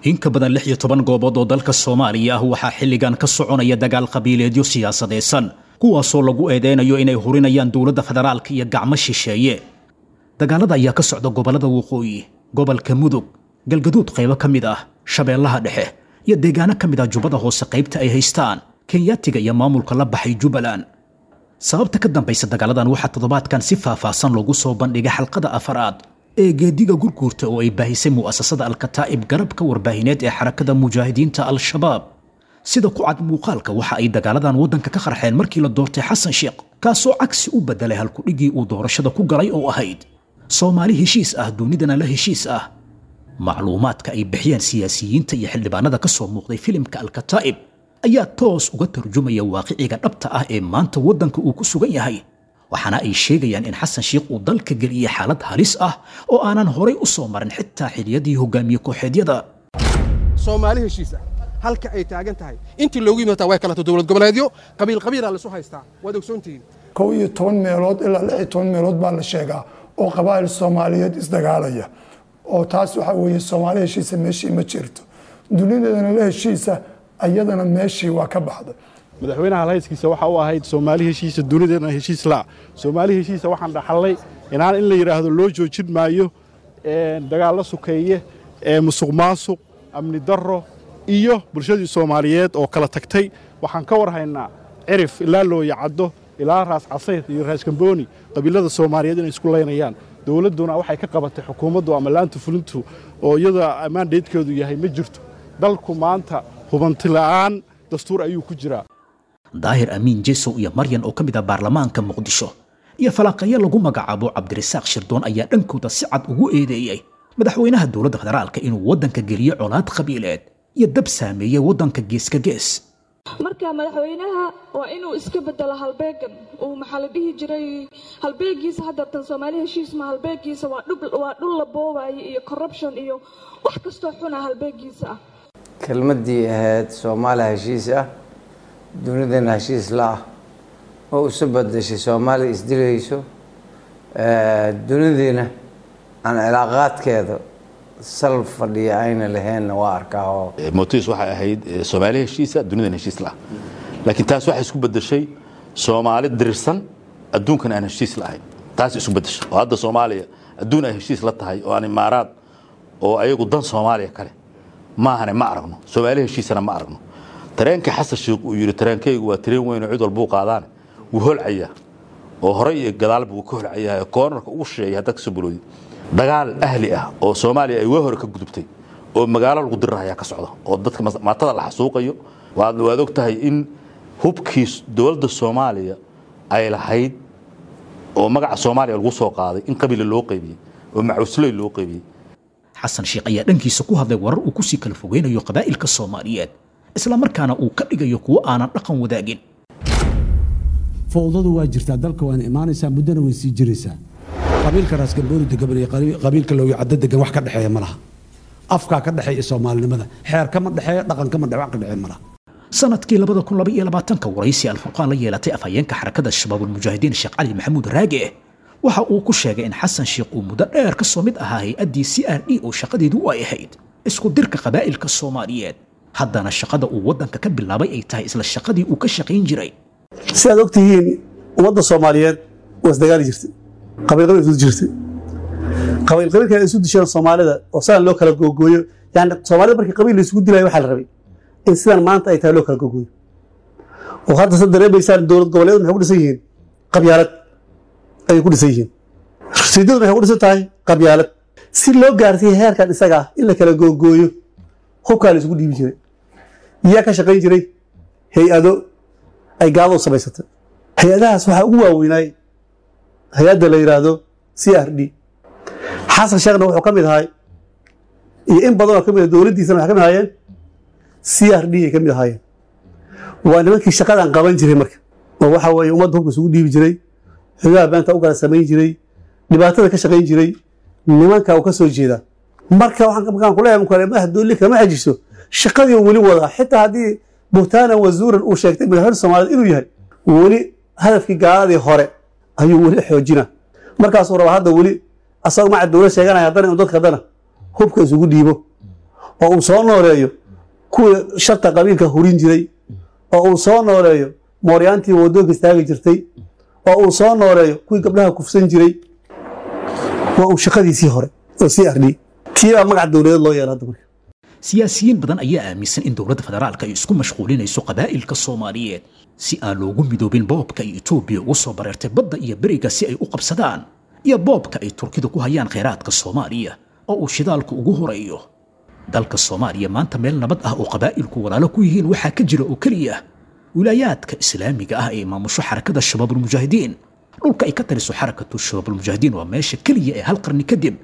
In ka badan 16 goobood oo dalka Soomaaliya ah waxaa xilligan ka soconaya dagaal qabiileedyo siyaasadeysan, kuwaasoo lagu eedeynayo inay hurinayaan dowladda federaalka iyo gacmo shisheeye. Dagaalada ayaa ka socda gobollada Waqooyi, gobolka Mudug, Galgaduud, qaybo ka mid ah Shabeellaha Dhexe iyo deegaano ka mid ah Jubbada Hoose, qaybta ay haystaan Kenyaatiga iyo maamulka la baxay Jubbaland. Sababta ka dambaysa dagaaladan waxaa toddobaadkan si faahfaahsan loogu soo bandhigay xalqada afaraad ee Geediga Gurguurta oo ay baahisay mu'asasada Alkataa'ib, garabka warbaahineed ee Xarakada Mujaahidiinta Al-Shabaab. Sida ku cad muuqaalka, waxa ay dagaaladan waddanka ka qarxeen markii la doortay Xasan Sheekh, kaasoo cagsi u bedelay halkudhigii uu doorashada ku galay oo ahayd Soomaali heshiis ah, dunidana la heshiis ah. Macluumaadka ay bixiyeen siyaasiyiinta iyo xildhibaanada ka soo muuqday filimka Alkataa'ib ayaa toos uga tarjumaya waaqiciga dhabta ah ee maanta waddanka uu ku sugan yahay, waxaana ay sheegayaan in Xasan Sheikh uu dalka geliyey xaalad halis ah oo aanan horay u soo marin xitaa xiliyadii hogaamiye kooxeedyada. Soomaali heshiis ah halka ay taagan tahay intii loogu yimaata way kalato dowlad goboleedyo, qabiil qabiilaa lasu haystaa, waad ogsoontihiin. 11 meelood ilaa 16 meelood baa la sheegaa oo qabaa'il Soomaaliyeed isdagaalaya, oo taas waxaa weeye Soomaali heshiisa meeshii ma jirto, dunideedana la heshiisa ayadana meeshii waa ka baxday. Madaxweynaha halhayskiisa waxa u ahayd Soomaali heshiisa, dunideedna heshiis laa. Soomaali heshiisa waxaan dhaxallay inaan in la yidhaahdo loo joojin maayo dagaallo sukeeye, musuq maasuq, amni darro iyo bulshadii Soomaaliyeed oo kala tagtay. Waxaan ka war haynaa Cirif ilaa Looyacaddo ilaa Raas Casayr iyo Raas Kambooni qabiilada Soomaaliyeed inay isku laynayaan. Dowladduna waxay ka qabatay xukuumaddu ama laanta fulintu oo iyada mandatekeedu yahay ma jirto. Dalku maanta hubanti la'aan dastuur ayuu ku jiraa. Daahir Amiin Jesow iyo Maryan oo ka mid ah baarlamaanka Muqdisho iyo falanqeeyo lagu magacaabo Cabdirasaaq Shirdoon ayaa dhankooda si cad ugu eedeeyey madaxweynaha dowladda federaalka inuu waddanka geliyo colaad qabiileed iyo dab saameeyey waddanka geeska gees. Marka madaxweynaha waa inuu iska bedelo halbeegan uu, maxaa la dhihi jiray, halbeegiisa haddeertan Soomaali heshiis ma halbeegiisa, waa dhul la boobaayo iyo corruption iyo wax kastoo xuna halbeegiisa ah. Kelmaddii ahayd Soomaaliya heshiis ah, dunidana heshiis la ah oo isu bedeshay Soomaaliya isdilayso, dunidiina aan cilaaqaadkeeda sal fadhiya ayna lahaynna waa arkaa oo Motis waxay ahayd Soomaali heshiisa, dunidan heshiis la, laakiin taas waxay isku bedeshay Soomaali dirirsan, adduunkan aan heshiis lahayn. Taas isku bedeshay oo hadda Soomaaliya adduun ay heshiis la tahay oo aan Imaaraad oo ayagu dan Soomaaliya kale maahane ma aragno, Soomaali heshiisana ma aragno. Tareenka Xasan Sheekh uu yidhi tareenkaygu waa tareen weyn oo cid walbuu qaadaan wuu holcayaa oo horey iyo gadaalba wuu ka holcayaa, koonarka ugu shisheeya haddaad kasoo bilowdid. Dagaal ahli ah oo Soomaaliya ay waa hore ka gudubtay oo magaalo lagu dirirayaa ka socda oo dadka maatada la xasuuqayo. Waad og tahay in hubkii dowladda Soomaaliya ay lahayd oo magaca Soomaaliya lagu soo qaaday in qabiila loo qaybiyey oo macusley loo qaybiyey. Xasan Sheekh ayaa dhankiisa ku hadlay warar uu kusii kala fogeynayo qabaa'ilka Soomaaliyeed, islamarkaana uu ka dhigayo kuwo aanan dhaqan wadaagin. Fowdadu waa jirtaa dalka, waana imaanaysaa, muddona way sii jiraysaa. Qabiilka Raasgambooni degan iyo qabiilka Looyacaddo degan wax ka dhexeeya ma laha. Afkaa ka dhexeeya Soomaalinimada, xeer kama dhexeeyo, dhaqan kama dhex, wax ka dhexeeya ma laha. Sanadkii 2022 waraysi Alfurqaan la yeelatay afhayeenka Xarakada Shabaabulmujaahidiin Sheekh Cali Maxamuud Raage waxa uu ku sheegay in Xasan Sheekh uu muddo dheer ka soo mid ahaa hay-addii CRD oo shaqadeedu ay ahayd isku dirka qabaa'ilka Soomaaliyeed, haddana shaqada uu waddanka ka bilaabay ay tahay isla shaqadii uu ka shaqayn jiray. Si aad og tihiin, ummadda Soomaaliyeed waa isdagaali jirtay, qabiil qabiil isu jirtay, qabiil qabiilka ay isu disheen Soomaalida oo sidan loo kala googooyo. Yani Soomaalida markii qabiil la isugu dilayo waxaa la rabay in sidan maanta ay tahay loo kala googooyo, oo hadda sa dareemaysaan dowlad goboleedu maxay ku dhisan yihiin? Qabyaalad ayay ku dhisan yihiin. Rasiidadu maxay ku dhisan tahay? Qabyaalad. Si loo gaarsiiyo heerkan isaga ah in la kala googooyo, hubkaa la isugu dhiibi jiray. Yaa ka shaqayn jiray? Hay-ado ay gaaladu samaysatay. Hay-adahaas waxaa ugu waaweynaay hay-adda la yidhaahdo CRD. Xasan Sheekhna wuxuu ka mid ahay iyo in badan oo ka mid ah dowladdiisana waxay ka mid ahaayeen CRD ay ka mid ahaayeen. Waa nimankii shaqadan qaban jiray marka, oo waxa weeye ummadda hubka isugu dhiibi jiray, xogaha beenta u kala samayn jiray, dhibaatada ka shaqayn jiray, nimanka uu ka soo jeedaa. Marka waxaan markaan kuleeyahay kale madax dooli kama xajiso, shaqadii uu weli wadaa, xitaa haddii buhtaanan wazuuran uu sheegtay madaxweyne Soomaaliyeed inuu yahay, weli hadafkii gaaladii hore ayuu weli xoojina. Markaasuu rabaa hadda weli asagoo maca dowlad sheeganaya haddana inuu dadka haddana hubka isugu dhiibo. Oo uu soo nooleeyo kuwii sharta qabiilka hurin jiray, oo uu soo nooleeyo mooryaantii wadoonka istaagi jirtay, oo uu soo nooleeyo kuwii gabdhaha kufsan jiray. Waa uu shaqadiisii hore oo sii ardhiyey, tiibaa magac dowladeed loo yeela hadda marka. Siyaasiyiin badan ayaa aaminsan in dowladda federaalka ay isku mashquulinayso qabaa'ilka Soomaaliyeed si aan loogu midoobin boobka ay Itoobiya ugu soo bareertay badda iyo beriga si ay u qabsadaan, iyo boobka ay Turkidu ku hayaan kheyraadka Soomaaliya oo uu shidaalku ugu horeeyo. Dalka Soomaaliya maanta meel nabad ah oo qabaa'ilku walaalo ku yihiin waxaa ka jira oo keliya wilaayaadka islaamiga ah ee maamusho Xarakada Shabaabulmujaahidiin. Dhulka ay ka taliso Xarakatu Shabaabulmujaahidiin waa meesha keliya ee hal qarni kadib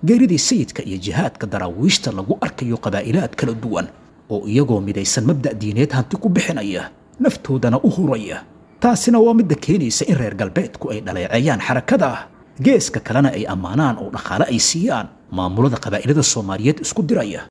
geeridii sayidka iyo jihaadka daraawiishta lagu arkayo qabaa'ilaad kala duwan oo iyagoo midaysan mabda' diineed hanti ku bixinaya, naftoodana u huraya. Taasina waa midda keenaysa in reer galbeedku ay dhaleeceeyaan xarakada, geeska kalena ay ammaanaan oo dhaqaale ay siiyaan maamulada qabaa'ilada Soomaaliyeed isku diraya.